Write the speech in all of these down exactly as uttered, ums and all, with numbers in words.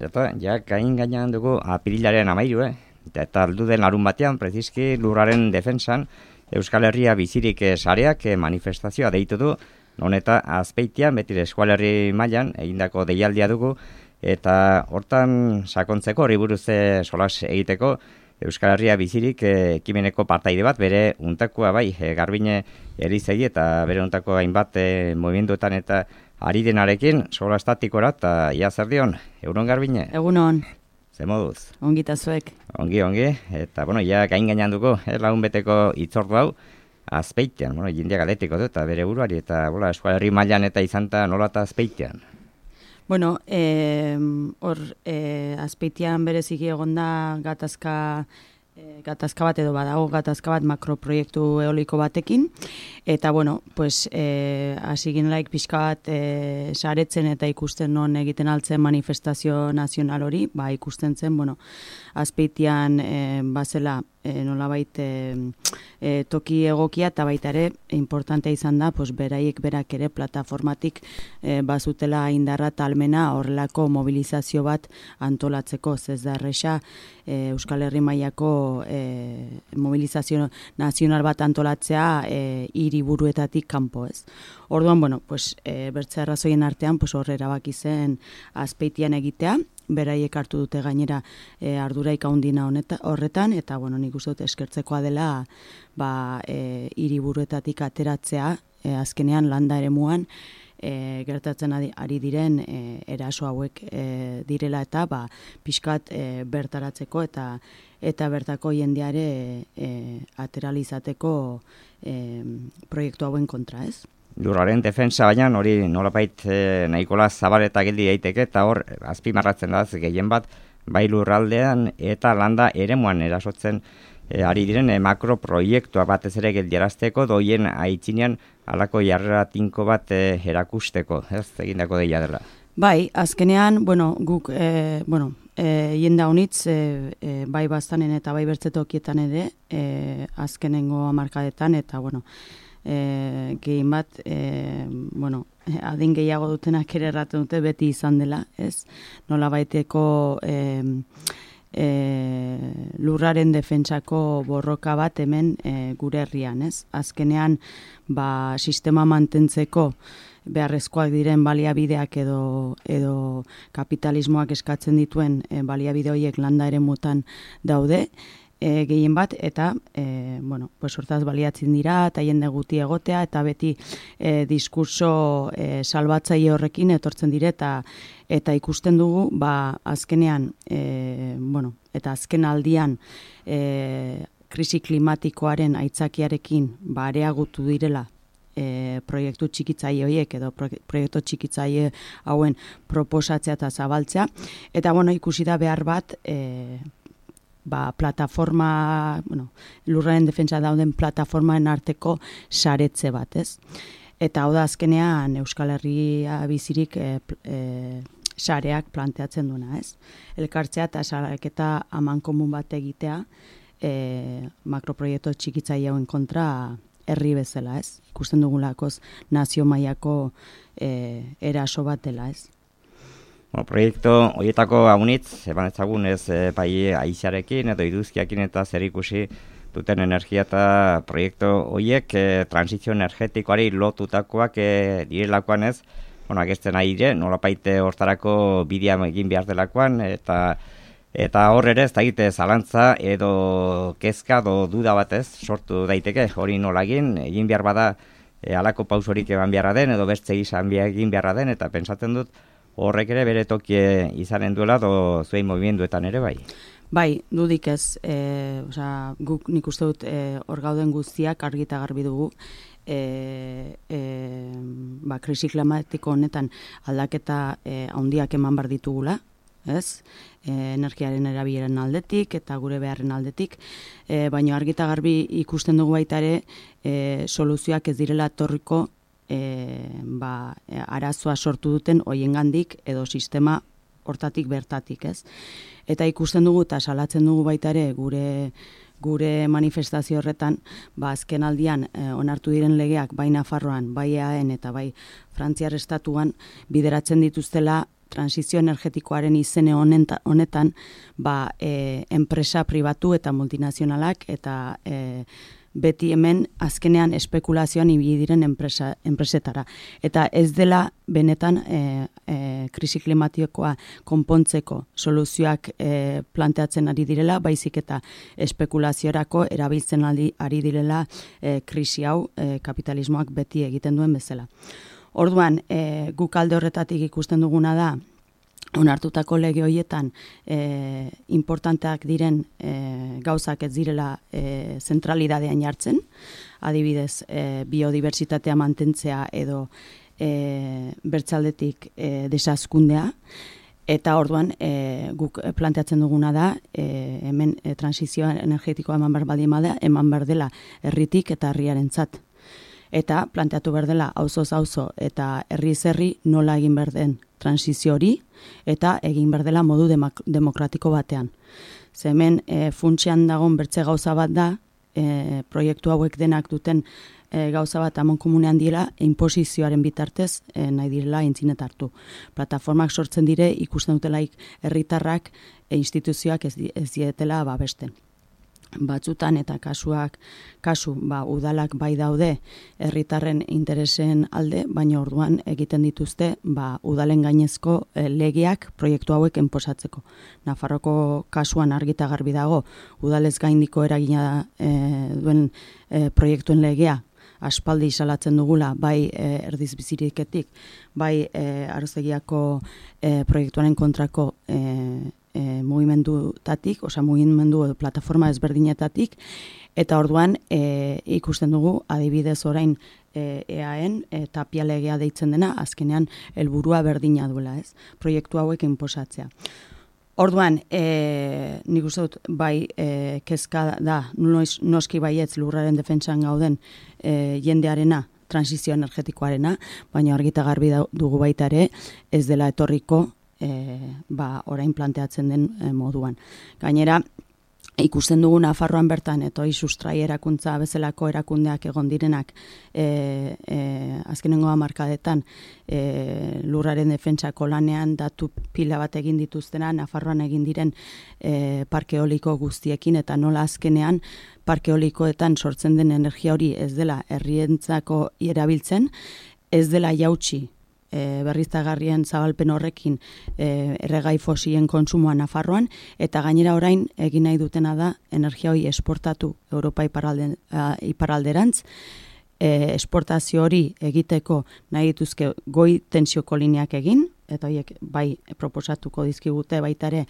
Eta, ja, gain gainean dugu apirilaren amairu, eh? Eta aldu den larun batean, preziski lurraren defensan, Euskal Herria bizirik sareak manifestazioa deitu du, non eta Azpeitian, beti Euskal Herri mailan egindako deialdia dugu, eta hortan sakontzeko, horri buruz solas egiteko, Euskal Herria bizirik ekimeneko partaide bat, bere untakoa bai, e, Garbine Elizegi eta bere untako hainbat e, movimenduetan eta ari denarekin, sola estatikora, eta ia zer dion, Egunon Garbine? Egunon. Ze moduz? Ongi eta zuek. Ongi, ongi, eta bueno, ja gain gainean dugu, eh, lagun beteko itzordu hau, Azpeitean, bueno, jendeak aletiko du, eta bere buruari, eta bola, Euskal Herri mailan eta izanta nola eta Azpeitean. Bueno, eh, hor, eh, Azpeitian bereziki egonda gatazka, eh, gatazka bat edo badago, gatazka bat makroproiektu eoliko batekin, eta bueno, pues, eh, hasi ginelaik pixka bat eh, saretzen eta ikusten non egiten altzen manifestazio nazional hori, ba ikusten zen, bueno, Azpeitian eh, bazela e, nolabait e, e, toki egokia eta baita ere importantea izan da, pues, beraiek berak ere plataformatik e, bazutela indarra talmena horrelako mobilizazio bat antolatzeko, ez da erresa e, Euskal Herri mailako e, mobilizazio nazional bat antolatzea e, hiriburuetatik kanpo, ez. Orduan, bueno, pues, e, bertze arrazoien artean, pues, horre erabaki zen Azpeitian egitea, beraiek hartu dute gainera e, arduraik handina horretan, eta bueno, nik uste dut eskertzekoa dela ba, e, hiriburuetatik ateratzea, e, azkenean landa eremuan e, gertatzen ari, ari diren e, eraso hauek e, direla eta ba, pixkat e, bertaratzeko eta eta bertako jendeare e, ateralizateko e, proiektu hauen kontra, ez? Lurraren defensa baina hori nolapait eh, nahikola zabaleta geldi daiteke eta hor azpimarratzen da gehien bat bai lurraldean eta landa eremuan erasotzen eh, ari diren eh, makroproiektua batez ere geldiarazteko doien aitzinean halako jarrera tinko bat eh, erakusteko, ez egindako deia dela. Bai, azkenean, bueno, guk eh, bueno, eh, jenda honitz eh, eh, bai bastanen eta bai bertzetokietan ere eh, azkenengo hamarkadetan eta bueno, E, gehien bat, e, bueno, adin gehiago dutenak ere erraten dute beti izan dela, ez? Nola baiteko e, e, lurraren defentsako borroka bat hemen e, gure herrian, ez? Azkenean, ba, sistema mantentzeko beharrezkoak diren baliabideak edo, edo kapitalismoak eskatzen dituen e, baliabide horiek landa ere mutan daude, E, gehien bat, eta e, bueno, pues hortaz baliatzen dira, eta jende guti egotea, eta beti e, diskurso e, salbatzaile horrekin etortzen dire, eta, eta ikusten dugu, ba, azkenean, e, bueno, eta azken aldian, e, krisi klimatikoaren aitzakiarekin, ba, areagutu direla, e, proiektu txikitzaile horiek, edo proiektu txikitzaile hauen proposatzea eta zabaltzea, eta, bueno, ikusi da behar bat, e, ba, plataforma, bueno, lurraren defentsa dauden plataformaen arteko saretze bat, ez? Eta hau da azkenean Euskal Herria bizirik e, e, sareak planteatzen duena, ez? Elkartzea eta sareketa amankomun bat egitea e, makroproiektu txikitzaile hauen kontra herri bezala, ez? Ikusten dugulakoz nazio mailako e, eraso bat dela, ez? Bueno, proiektu horietako aunitz, eban ezagun ez e, bai aizarekin edo iduzkiakin eta zer ikusi duten energia eta proiektu horiek e, transizio energetikoari lotutakoak e, direlakoan ez, bueno, agesten ari dire, nolapaite hortarako bidea egin behar delakoan, eta eta hor ere ez da egite zalantza edo kezka edo duda batez sortu daiteke hori nola egin, egin behar bada e, alako pausorik eban beharra den edo beste izan egin beharra den, eta pentsatzen dut horrek ere bere tokie izanen duela do zuei movimenduetan ere bai. Bai, dudik ez, e, osea, guk nik uste dut e, hor gauden guztiak argi eta garbi dugu, e, e, ba, krisi klimatiko honetan aldaketa e, handiak eman bar ditugula, ez? E, energiaren erabileren aldetik eta gure beharren aldetik, e, baina argi eta garbi ikusten dugu baita ere e, soluzioak ez direla etorriko E, ba, arazoa sortu duten hoiengandik edo sistema hortatik bertatik, ez? Eta ikusten dugu eta salatzen dugu baita ere gure gure manifestazio horretan, ba azken aldian e, onartu diren legeak bai Nafarroan, bai E A En eta bai Frantziar estatuan bideratzen dituztela transizio energetikoaren izene honetan, ba, e, enpresa pribatu eta multinazionalak eta e, beti hemen azkenean espekulazioan ibili diren enpresa, enpresetara. Eta ez dela benetan e, e, krisi klimatikoa konpontzeko soluzioak e, planteatzen ari direla, baizik eta espekulaziorako erabiltzen ari, ari direla e, krisi hau e, kapitalismoak beti egiten duen bezala. Orduan, e, guk alde horretatik ikusten duguna da, onartutako lege horietan e, importanteak diren e, gauzak ez direla e, zentralidadean jartzen, adibidez e, biodibertsitatea mantentzea edo e, bertzaldetik e, desazkundea, eta orduan e, guk planteatzen duguna da e, hemen e, transizioa energetikoa eman behar baldin bada, eman behar dela herritik eta herriarentzat. Eta planteatu behar dela auzoz auzo eta herriz herri nola egin behar den transizio hori eta egin behar dela modu demak, demokratiko batean. Ze hemen e, funtsean dagoen bertze gauza bat da, e, proiektu hauek denak duten e, gauza bat amon komunean dira, inposizioaren bitartez e, nahi direla intzinet hartu. Plataformak sortzen dire ikusten dutelaik herritarrak e, instituzioak ez, ez dietela babesten. Batzutan eta kasuak, kasu, ba, udalak bai daude herritarren interesen alde, baina orduan egiten dituzte ba, udalen gainezko e, legeak proiektu hauek enposatzeko. Nafarroko kasuan argita garbi dago, udalez gaindiko eragina e, duen e, proiektuen legea, aspaldi salatzen dugula, bai e, erdiz biziriketik, bai e, Arozegiako e, proiektuaren kontrako e, E, mugimendutatik, osea mugimendu edo plataforma ezberdinetatik, eta orduan e, ikusten dugu adibidez orain e, eaen e, tapia legea deitzen dena, azkenean helburua berdina duela, ez? Proiektu hauek inposatzea. Orduan, e, nik uste dut bai e, kezka da, noiz, noski baietz lurraren defentsan gauden e, jendearena, transizio energetikoarena, baina argita garbi dugu baita ere, ez dela etorriko E, ba, orain planteatzen den e, moduan. Gainera, ikusten dugu Nafarroan bertan, eta hori sustrai erakuntza bezalako erakundeak egon direnak e, e, azkenengo hamarkadetan e, lurraren defentsako lanean datu pila bat egin dituztena, Nafarroan egin diren e, parke eoliko guztiekin, eta nola azkenean parke eolikoetan sortzen den energia hori ez dela herrientzako erabiltzen, ez dela jautsi E, berriztagarrien zabalpen horrekin e, erregai fosilen kontsumoa Nafarroan, eta gainera orain egin nahi dutena da energia hori esportatu Europa iparralde, a, iparralderantz, e, esportazio hori egiteko nahi dituzke goi tensioko lineak egin, eta horiek bai proposatuko dizkigute baita ere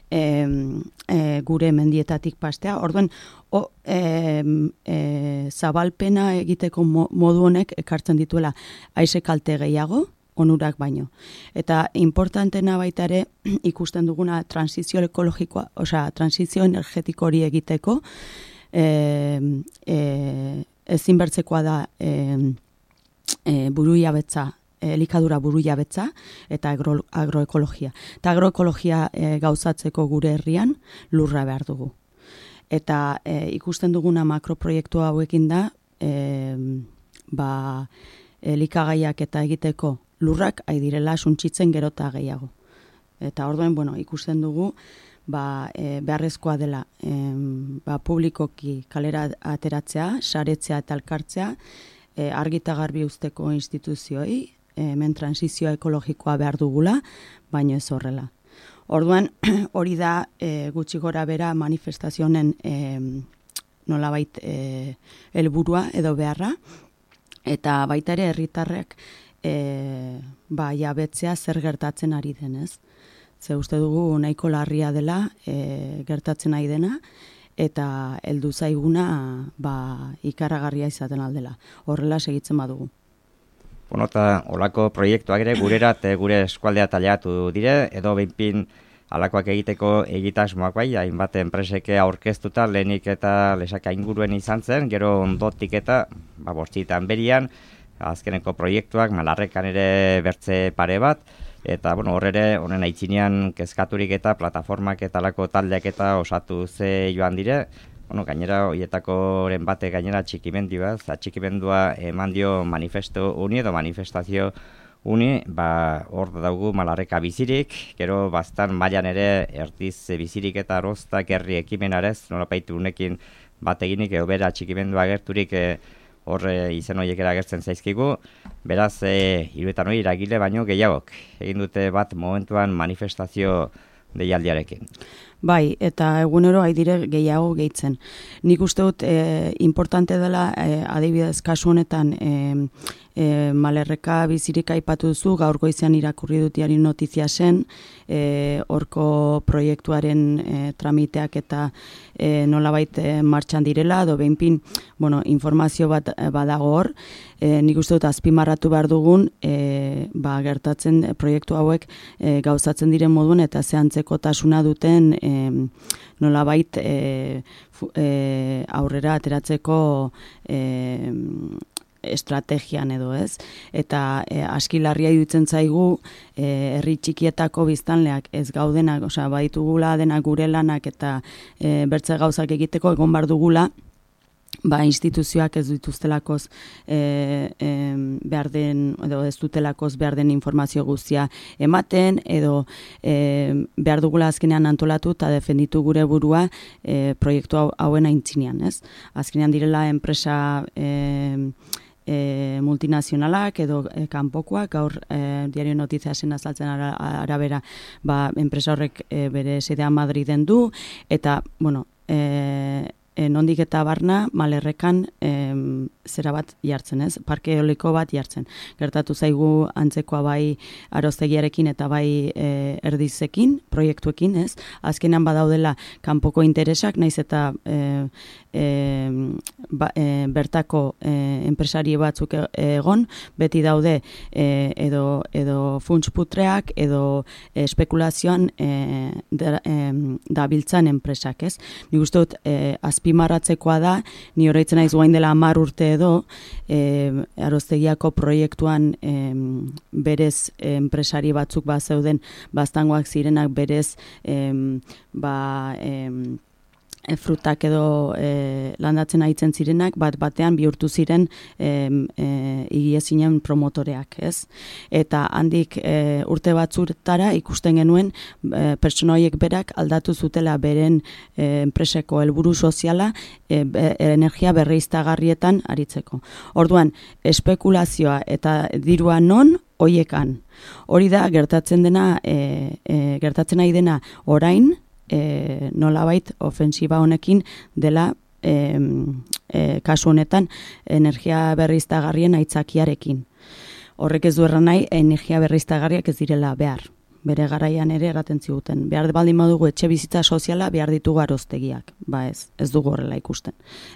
e, e, gure mendietatik pastea. Orduan, o, e, e, zabalpena egiteko modu honek ekartzen dituela haize kalte gehiago, onurak baino. Eta importantena baita ere ikusten duguna transizio ekologikoa, osea, transizio energetiko hori egiteko e, e, ezinbertzekoa da e, e, burujabetza, elikadura burujabetza eta agro, agroekologia. Eta agroekologia e, gauzatzeko gure herrian lurra behar dugu. Eta e, ikusten duguna makroproiektu hauekin da e, ba, elikagaiak eta egiteko lurrak ari direla suntsitzen gerota gehiago. Eta orduan, bueno, ikusten dugu ba, e, beharrezkoa dela e, ba, publikoki kalera ateratzea, saretzea eta elkartzea, e, argita garbi usteko instituzioi, e, hemen transizioa ekologikoa behar dugula, baino ez horrela. Orduan, hori da e, gutxi gora bera manifestazionen e, nolabait e, helburua edo beharra, eta baita ere herritarrek E, ba, jabetzea zer gertatzen ari denez. Ze uste dugu nahiko larria dela e, gertatzen ari dena, eta heldu zaiguna ba, ikaragarria izaten aldela. Horrela segitzen badugu. Bueno, eta olako proiektuak ere gurerat gure eskualdea taliatu dire, edo behinpin alakoak egiteko egitasmoak bai, hainbat enpreseke aurkeztuta lehenik eta lesaka inguruen izan zen, gero ondotik eta ba, bortzitan berian, azkeneko proiektuak, malarrekan ere bertze pare bat, eta bueno, hor ere, honen aitzinean kezkaturik eta plataformak eta alako taldeak eta osatu ze joan dire, bueno, gainera, horietakoren bate gainera txikimendi bat, txikimendua eman dio manifesto uni edo manifestazio uni, ba, hor daugu Malarreka bizirik, gero bastan mailan ere erdiz bizirik eta aroztak herri ekimenarez, nolapaitu unekin bat eginik, edo bera txikimendu agerturik e, hor e, izen horiek agertzen zaizkigu, beraz, e, hiruetan hori iragile baino gehiagok, egin dute bat momentuan manifestazio deialdiarekin. Bai, eta egunero haidire gehiago gehitzen. Nik uste dut e, importante dela, e, adibidez kasu honetan, e, e, Malerreka bizirik aipatu duzu, gaur goizean irakurri dut diario notizia zen, e, horko proiektuaren e, tramiteak eta e, nolabait e, martxan direla, edo behinpin, bueno, informazio bat e, badago hor, e, nik uste dut azpimarratu behar dugun, e, ba, gertatzen e, proiektu hauek e, gauzatzen diren moduen eta zehantzeko tasuna duten e, nolabait e, e, aurrera ateratzeko e, estrategian edo ez, eta e, aski larria iruditzen zaigu e, herri txikietako biztanleak ez gaudenak, osea baditugula denak gure lanak eta e, bertze gauzak egiteko egon bar dugula, ba, instituzioak ez dituztelakoz e, e, behar den, edo ez dutelakoz behar den informazio guztia ematen, edo e, behar dugula azkenean antolatu eta defenditu gure burua e, proiektu hauen aintzinean, ez? Azkenean direla enpresa e, E, multinazionalak edo e, kanpokoak, gaur e, diario notizia zen azaltzen ara, arabera ba, enpresa horrek e, bere sedea Madriden du, eta, bueno, e, e, nondik eta barna Malerrekan e, zera bat jartzen, ez? Parke eoliko bat jartzen. Gertatu zaigu antzekoa bai aroztegiarekin eta bai e, erdizekin, proiektuekin, ez? Azkenan badaudela kanpoko interesak, naiz eta e, E, ba, e, bertako e, enpresari batzuk egon, beti daude e, edo, edo funtsputreak edo e, espekulazioan e, da, e, dabiltzan enpresak, ez? Nik uste dut e, azpimarratzekoa da, ni horreitzen naiz guain dela hamar urte edo e, aroztegiako proiektuan e, berez e, enpresari batzuk bat zeuden baztangoak zirenak berez e, ba e, E, frutak edo e, landatzen aitzen zirenak, bat batean bihurtu ziren e, e, igiezinen promotoreak, ez? Eta handik e, urte batzutara ikusten genuen e, pertsona horiek berak aldatu zutela beren e, enpreseko helburu soziala e, be, energia berriztagarrietan aritzeko. Orduan, espekulazioa eta dirua non hoiekan. Hori da gertatzen dena, e, e, gertatzen nahi dena orain, E, nolabait ofensiba honekin dela e, e, kasu honetan energia berriztagarrien aitzakiarekin. Horrek ez du erran nahi energia berriztagarriak ez direla behar. Bere garaian ere eraten ziguten. Behar baldin badugu etxe bizitza soziala behar ditugu aroztegiak. Ba ez, ez dugu horrela ikusten.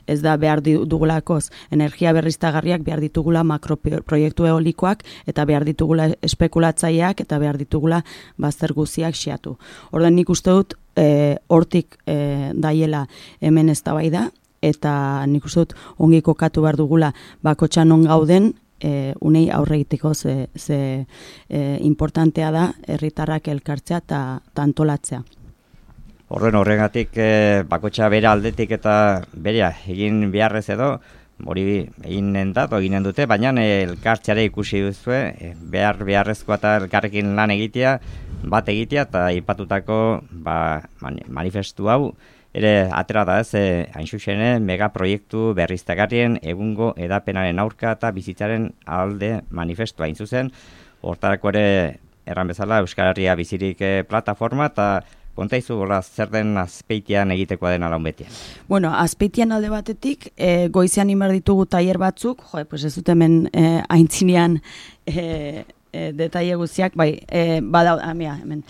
Ez da behar dugulakoz energia berriztagarriak behar ditugula makroproiektu eolikoak eta behar ditugula espekulatzaileak eta behar ditugula bazter guziak xeatu. Orduan nik uste dut e, hortik e, daiela hemen eztabaida eta nik uste dut ongi kokatu behar dugula bakotxan on gauden E, unei aurre egiteko ze, ze e, importantea da herritarrak elkartzea eta antolatzea. Horren horregatik e, bakotxa bere aldetik eta berea egin beharrez edo, hori eginen da, eginen dute, baina e, elkartzeare ikusi duzue, e, behar beharrezkoa eta elkarrekin lan egitea, bat egitea eta ipatutako ba, manifestu hau, ere atera da ez, eh, hain zuzene, megaproiektu berriztagarrien egungo edapenaren aurka eta bizitzaren alde manifestua hain zuzen. Hortarako ere, erran bezala, Euskal Herria bizirik eh, plataforma eta kontaizu gola zer den Azpeitian egitekoa den alaun betian. Bueno, Azpeitian alde batetik, e, goizean inbar ditugu tailer batzuk, jo, pues ez dut hemen e, aintzinean e, E, detaile guztiak, bai, e, badau, amia, hemen.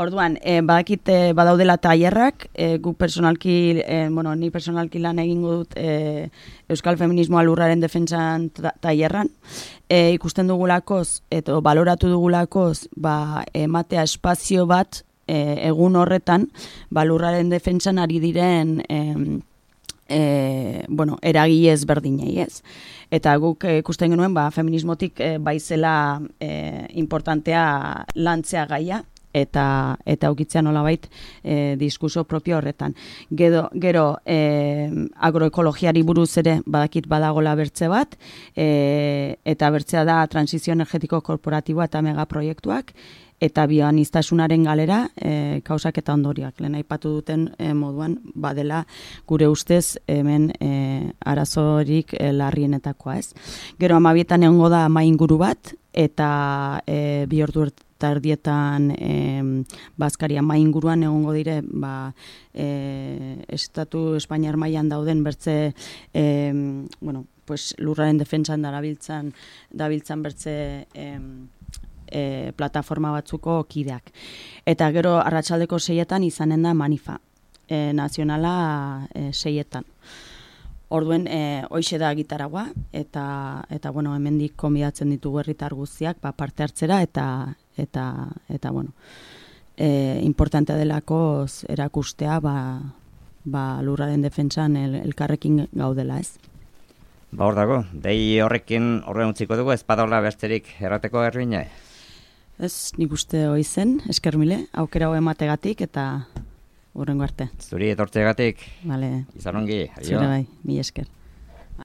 Orduan, e, badakit e, badaudela tailerrak, e, gu personalki, e, bueno, ni personalki lan egingo dut e, Euskal Feminismoa lurraren defentsan tailerran, e, ikusten dugulakoz, eta baloratu dugulakoz, ba, ematea espazio bat, e, egun horretan, ba, lurraren defentsan ari diren, e, E, bueno, eragile ezberdinei, ez? Eta guk ikusten genuen, ba, feminismotik e, baizela e, importantea lantzea gaia, eta eta ukitzea nolabait e, diskurso propio horretan. Gero, gero e, agroekologiari buruz ere badakit badagola bertze bat, e, eta bertzea da transizio energetiko korporatiboa eta megaproiektuak, eta bioaniztasunaren galera e, kausak eta ondorioak. Lehen aipatu duten e, moduan badela gure ustez hemen e, arazorik e, larrienetakoa, ez. Gero amabietan egongo da ama inguru bat, eta e, bi ordu erdietan e, bazkari ama inguruan egongo dire ba, e, estatu Espainiar mailan dauden bertze e, bueno, pues, lurraren defentsan darabiltzan dabiltzan bertze e, E, plataforma batzuko kideak. Eta gero arratsaldeko seietan izanen da manifa, e, nazionala e, seietan. Orduen, e, hoixe da gitaragua, eta, eta bueno, hemendik konbidatzen ditugu herritar guztiak ba, parte hartzera, eta, eta, eta bueno, e, importantea delako erakustea ba, ba, lurraren defentsan el, elkarrekin gaudela, ez? Ba hor dago, dei horrekin horren utziko dugu, ez badaula besterik errateko Ervine? Ez, nik uste hoi zen, esker mile, aukera hau emategatik eta hurrengo arte. Zuri etortzegatik, vale. Izan ongi, adio. Zure bai, mi esker.